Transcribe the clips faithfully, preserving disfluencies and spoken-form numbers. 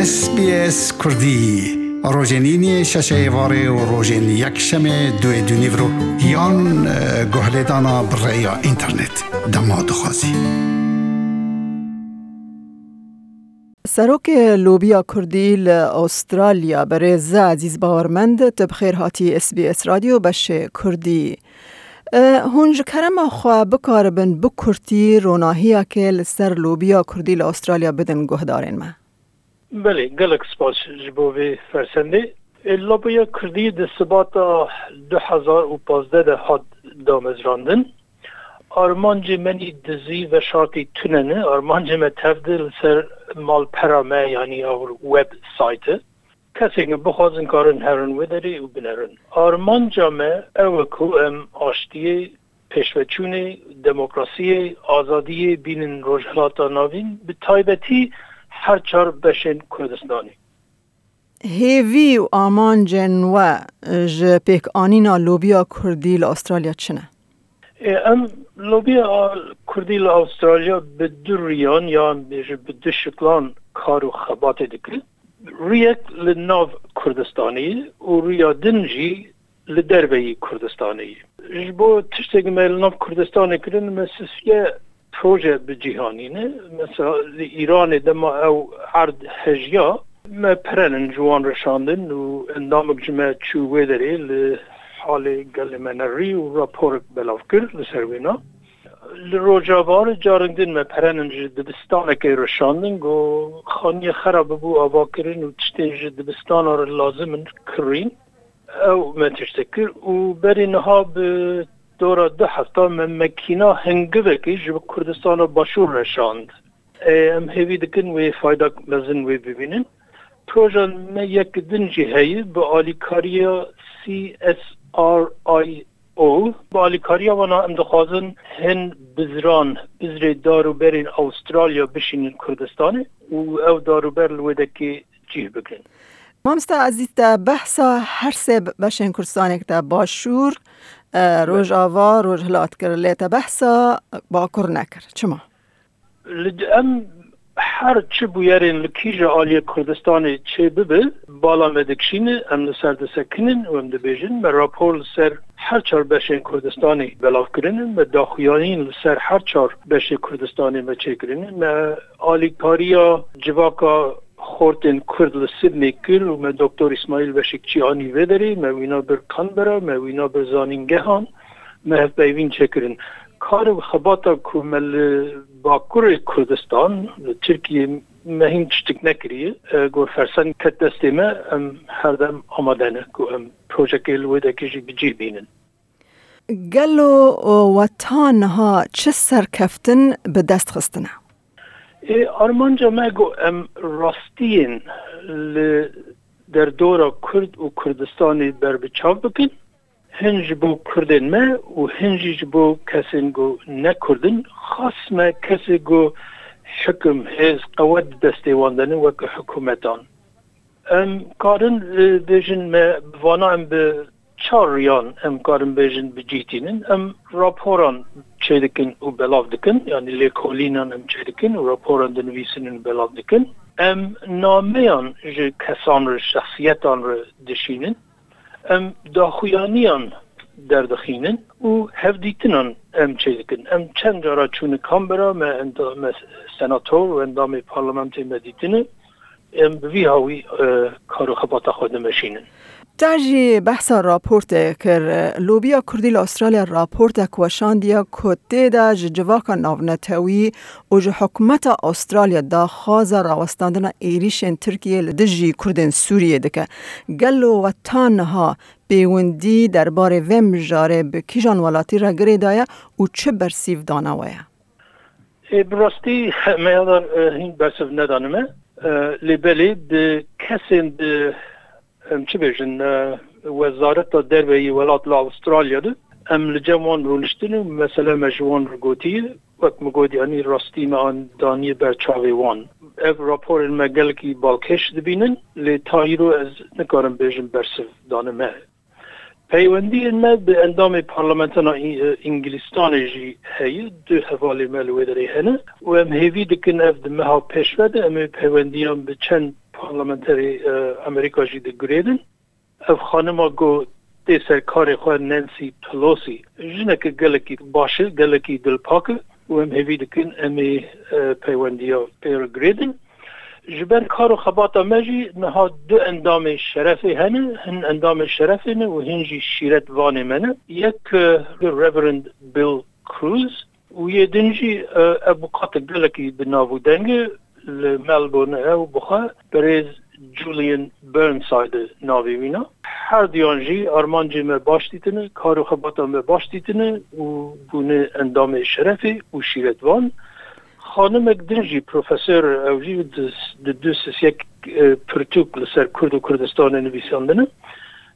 S B S Kurdî, rojên îniyê şeşê êvarê û rojên yekşemê duê dûnîvro yan, e, guhlêdana bi rêya înternet. Dema dixwazî. Serokê Lobiya Kurdî li Astralya, berêz Ezîz Bawermend, tu bi xêr hatî S B S Radyo beşê Kurdî. E, hûn ji kerema xwe bikaribin bi kurtî ronahiyeke li ser lobiya Kurdî li Astralya bidin guhdarên me? Belê, gelek spas ji bo vê fersendê. E, Lobiya Kurdî di Sibata du hezar û pazdeh de hat damezrandin. Armancê me nî dizî veşartî tune ne. Armancê me tev de li ser malpera me, yanî our website. Kesên ku bixwazin karin herin wê derê û binerin. Armanca me ew e ku em aştiyê, pêşveçûnê, demokrasiyê, azadiyê bînin Rojhilata Navîn, bi taybetî her çar beşên Kurdistanê. Hêvî û amancên we ji pêkanîna lobiya Kurdî li Astralya çi ne? Ê, em lobiya Kurdî li Astralya bi du riyan, yan bêje bi du şiklan kar û xebatê dike. Riyek li nav Kurdistanê ye û riya din jî li derveyî Kurdistanê ye. Ji bo tiştek me li nav Kurdistanê kirin, me sisiye proje bi cîhanî ne. Mesela li Îranê dema ew erd hejiya, me perenin ji wan re şandin û endamik ji me çû wê derê li halê gelê me nerî û raporek belav kir li ser wêna. Li Rojava re carek din me perenin ji dibistanekê re şandin, got, xaniyê xera bibû avakirin û tiştên ji dibistana re lazim in kirîn. Ew me tiştek kir û berî niha bi dora du hefta me mekîna hingivekê ji Kurdistana Başûr re şand. Ê, em hêvî dikin wê faydak mezin wê bibînin. Proja me yek din jî heye bi alîkariya C S R I O. Bi alîkariya wana em dixwazin hin bizran, bizrê dar û berên Astralya bişînin Kurdistanê û ew dar û ber li wê dekê cih bigirin. Mamosta Ezîz, te behsa her sê beşên Kurdistanê kir, te Başûr, e, Rojava, Rojhilat kir, lê te behsa Bakur nekir. Çima? Li, em her çi bûyerên li kîja aliyê Kurdistanê çê bibe, bala me dikişîne, em li ser disekinin û em dibêjin, me rapor li ser her çar beşên Kurdistanê belav kirine, me daxuyaniyên li ser her çar beşê Kurdistanê me çêkirine, me alîkariya civaka xortên Kurd li Sydney kir û me Doktor Îsmaîl Beşikçî anî vê derê, me wîna bir Canberra, me wîna bir zanîngehan, me hevpeyvîn çêkirin. Kar û xebata ku me li Bakurê Kurdistan, li Tirkiyê me hîn tiştik nekiriye. E, Gor fersend ket destê me, em her dem amade ne ku em projekê li wê dekê jî bi cih bînin. Gelo we ta niha çi serkeftin bi dest xistine? Ê, armanca me got em rastiyên li derdora Kurd û Kurdistanê berbiçav bikin. Hin ji bo Kurdên me û hin jî ji bo kesên ku ne Kurd in, xas me kesê ku hikim, hêz, qewet di destê wan de ne wek hikûmetan. Em karin, e, bêjin me bi vana em bi çar riyan em karin bêjin bi cih tînin. Em raporan çêdikin û belav dikin, yanî lêkolînan em çêdikin û raporan dinivîsin û belav dikin. Em nameyan ji kesan re, şexsiyetan re dişînin. Em daxuyaniyan derdixînin û hevdîtinan em çêdikin. Em çend cara çûne Canberra, me enda-, me senator û endamê parlamentê me dîtine. Em bi vî hawî, e, kar û xebata xwe dimeşînin. Te jî behsa raportê kir. Lobiya Kurdî li Astralya raportek weşandiye ku tê de ji civaka navnetewî û ji hikûmeta Astralya daxwaza rawestandina êrîşên Tirkiyê li dijî Kurdên Sûriyê dike. Gelo we ta niha pêwendî derbarê vê mijarê bi kîjan welatî re girêdaye û çi bersîv dane we ye? Ê, bi rastî me ya dar, e, hîn bersiv nedane me. E, lê belê bi kesên di, em çi bêjin, e, Wezareta Derve yê welat li Astralya de em li cem wan rûniştin û mesele me ji wan re gotiye. Wek min got, yanî rastî me an daniye ber çavê wan. Ev raporên me gelekî balkêş dibînin, lê ta îro ez nikarim bêjim bersiv dane me. Peywendiyên me bi endamê Parlamentana Î-, Îngilîstanê jî heye, du hevalê me li wê derê hene û em hêvî dikin ev di meha pêş ve de em ê peywendiyan bi çend parlamenterê e, Amerîka jî digurêdin. Ev xanima ku tê ser karê xwe, Nancy Pelosi, jineke gelekî baş e, gelekî dilpak e û em hêvî dikin em ê e, peywendiya pê re girêdin. Ji ber kar û xebata me jî niha du endamê şerefê hene, hin endamê şerefê ne û hin jî şîretvanê me ne. Yek e, Reverend Bill Cruz û yê din jî e, ev bûkate gelekî bi nav û deng e li Melbourne e û bi xwe birêz Julian Burnside e navê wîna. Her duyan jî armancê me baş dîtine, kar û xebata me baş dîtine û bûne endamê şerefê û şîretvan. Xanimek din jî profesor e, ew jî di, di du sisiyek e, pirtûk li ser Kurd û Kurdistanê nivîsandine.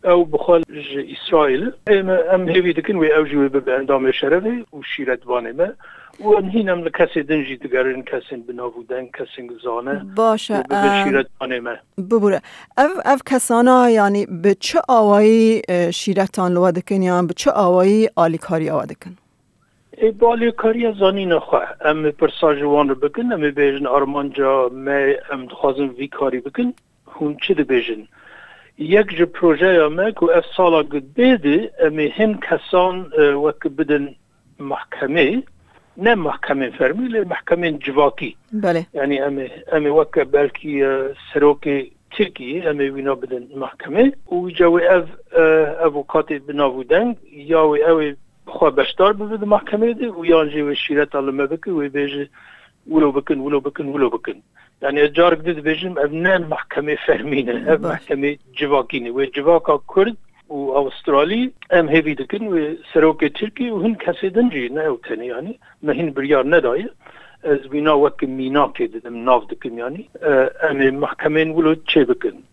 Ew bi xwe ji Îsraîl e. Ê me, em hêvî dikin wê ew jî wê bibe endamê şerefê û şîretvanê me. Û em hîn em li kesê din jî digerin, kesên bi nav û deng, kesên zane Baş e, û bibin em, şîretvanê me. Bibûre. Ev, ev kesana, yanî bi çi awayî e, şîretan li we dikin yan bi çi awayî alîkariya we dikin? Ê, bi alîkariya zanîna xwe. Em ê pirsa ji wan re bikin, em ê bêjin armanca me, em dixwazin vî karî bikin. Hûn çi dibêjin? Yek ji projeya me ku ev sala ku dê de em ê hin kesan e, wek bidin mahkemê, ne mahkemên fermî, lê mahkemên civakî. Belê. Yanî em ê, em ê weke belkî e, serokê Tirkiyê em ê wîna bidin mahkemê û îca wê ev e, evokatê bi nav û deng ya wê ew ê bi xwe beşdar bibe di mahkemê de û yan jî wê şîreta li me bike, wê bêje wilo bikin, wilo bikin, wilo bikin. Yani ez carek din dibêjim, ev ne mahkemê fermî ne, ev Baş. mahkemê civakî ne. Wê civaka Kurd û Awistralî em hêvî dikin, wê serokê Tirkî û hin kesê din jî, ne ew tenê yani, me hin biryar nedaye. Ez wîna wek mînakê didim, nav dikim yani. E, em ê mahkemên wilo çê bikin.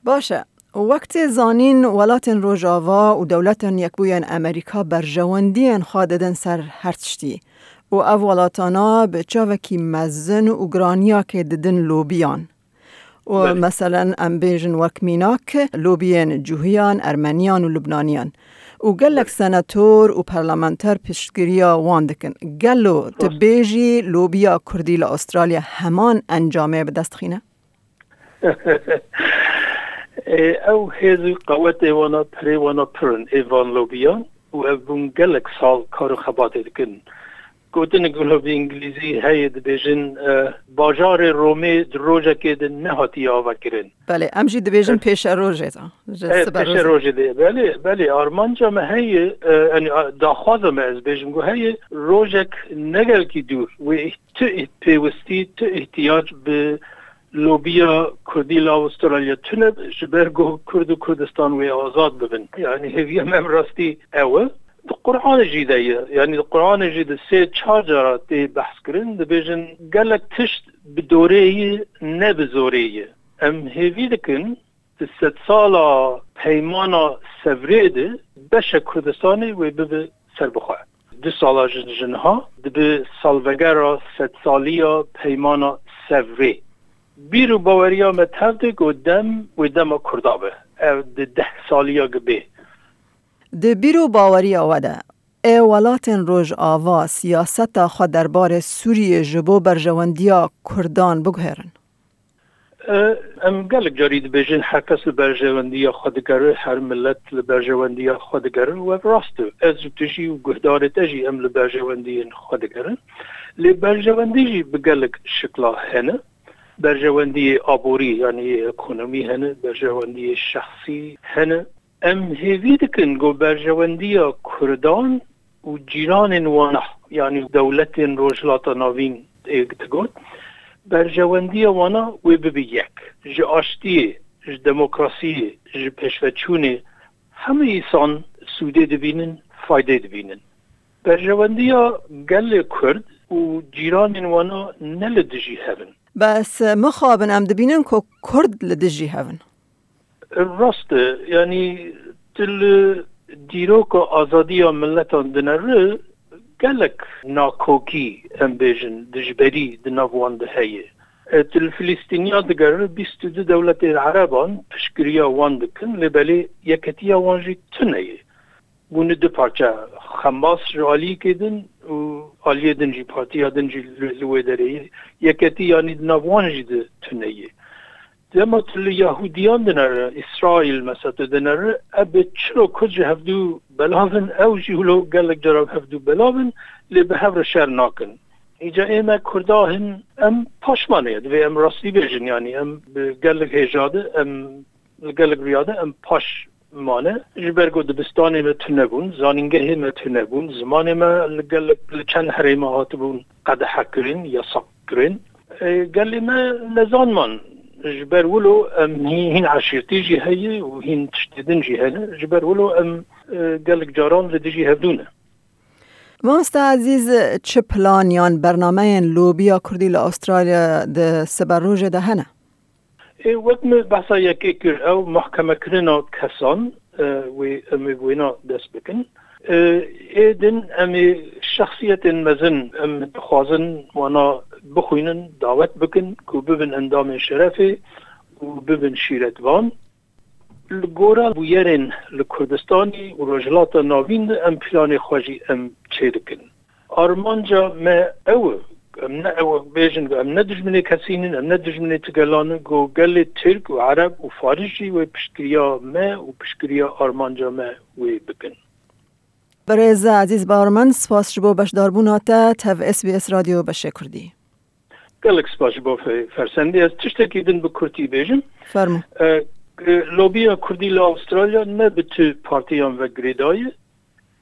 Baş e. Wek tê zanîn, welatên Rojava û dewletên Yekbûyên Amerîka berjewendiyên xwe didin ser her tiştî û ev welatana bi çavekî mezin û giraniyakê didin lobiyan. Û Belê. meselen, em bêjin wek mînak, lobiyên Cuhiyan, Ermeniyan û Lubnaniyan. Û gelek Belê. senator û parlamenter piştgiriya wan dikin. Gelo tu Rast. bêjî lobiya Kurdî li Astralya heman encamê bi dest xîne? Ê, ew hêz û qewetê wana, pirê wana pir in, ê van lobiyan û ev bûn gelek sal kar û xebatê dikin. Gotinek wilo bi îngilîzî heye, dibêjin, e, bajarê Romê di rojekê de nehatiye avakirin. Belê, em jî dibêjin E, pêşerojê de. Ji e, sibe pêşe rojê. rojê de. Belê, belê, armanca me heye, e, yani, a, daxwaza me, ez bêjim ku heye, rojek ne gelkî dûr wê tu ih-, pêwistî, tu ihtiyac bi lobiya Kurdî li Awistralya tune, ji ber ku Kurd û Kurdistan wê azad bibin. Yani hêviya me bi rastî ew e. Di Qur'anê jî de ye. Yani di Qur'anê jî de sê çar cara tê behs kirin. Dibêjin gelek tişt bi dorê ye, ne bi zorê ye. Em hêvî dikin di sedsala peymana Sevrê de beşek Kurdistanê wê bibe serbixwe. Du sala ji, ji niha dibe salvegera sedsaliya peymana Sevrê. Bîr û baweriya me tev de ku dem wê dema Kurda be. Ev di deh saliya gi bê. Di bîr û baweriya we de, ê welatên Rojava siyaseta xwe derbarê Sûriyê ji bo berjewendiya Kurdan biguherin? E, em gelek carî dibêjin, her kes li berjewendiya xwe digere, her milet li berjewendiya xwe digere û ev rast e. Ez û tu jî û guhdarê te jî em li berjewendiyên xwe digerin. Lê berjewendî jî bi gelek şikla hene. Berjewendiyê aborî, yanî yê ekonomî hene, berjewendiyê şexsî hene. Em hêvî dikin ku berjewendiya Kurdan û cîranên wana, yanî dewletên Rojhilata Navîn, ê digot, berjewendiya wana wê bibe yek. Ji aştiyê, ji demokrasiyê, ji pêşveçûnê hemî îsan sûdê dibînin, faydê dibînin. Berjewendiya gelê Kurd û cîranên wana ne li dijî hev in. Bes mixabin em dibînin ku Kurd li dijî hev in. Rast e, yanî tu li dîroka azadiya miletan dinere, gelek nakokî, em bêjin, dijberî di nav wan de heye. E, tu li Filîstîniya digere, bîst û du dewletên Ereban piştgiriya wan dikin, lê belê yeketiya wan jî tune ye. Bûne du parçe, Xemas ji aliyekê din û aliyê din jî, partiya din jî li, li wê derê ye. Yeketî yanî di nav wan jî de tune ye. Dema tu li Yahudiyan dinere, Îsraîl mesela tu dinere, ev bi çilo Kurd ji hevdû belav in, ew jî wilo gelek cara bi hevdû belav in, lê bi hev re şer nakin. Îca ê me Kurda hin, em paşmane ye, divê em rastî bêjin, yanî em bi gelek hêja de, em li gelek riya de em paş mane. Ji ber ku dibistanê me tune bûn, zanîngehê me tune bûn, zimanê me li gelek, li çend herêma hatibûn qedehe kirin, yasak kirin. E, gelê me nezan man. Ji ber wilo em hî-, hîn eşîrtî jî heye û hîn tiştê din jî hene. Ji ber wilo em, e, gelek caran li dijî hevdû ne. Mamoste Ezîz, çi plan yan bernameyên lobiya Kurdî li Astralya di siberojê de hene? Ê, wek min behsa yekê kir, ew mahkemekirina kesan, e, wê em ê wêna dest bikin. E, ê din em ê şexsiyetên mezin em dixwazin wana bixwînin, dawet bikin ku bibin endamên şerefê û bibin şîretvan. Li gora bûyerên li Kurdistanê û Rojhilata Navîn de em planê xwe jî em çêdikin. Armanca me ew e, em ne ew bêjin, em ne dijminê kesî nin, em ne dijminê ti gelan in, ku gelê Tirk û Ereb û Faris jî wê piştgiriya me û piştgiriya armanca me wê bikin. Birêz Ezîz Barman, spas ji bo beşdarbûna te tev S B S Radyo Beşê Kurdî. Gelek spas ji bo fe-, fersendê. Ez tiştekî din bi kurtî bêjim. Fermo. E, e, lobiya Kurdî li Astralya ne bi tu partiyan ve girêdayî.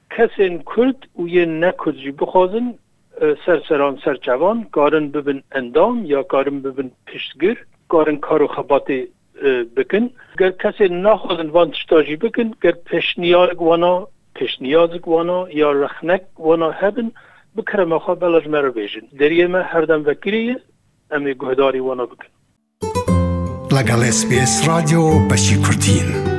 Kesên Kurd û yên ne Kurd jî bixwazin, e, ser seran ser çevan, karin bibin endam ya karin bibin piştgir, karin kar û xebatê, e, bikin. Ger kesên naxwazin van tişta jî bikin, ger pêşniyarek wana, pêşniyazek wana ya rexnek wana hebin, bi kerema xwe bela ji me re bêjin. Deriyê me her dem vekirî ye, em ê guhdarî wana bikin. لەگەڵ S B S رادیۆ بەشی کوردین.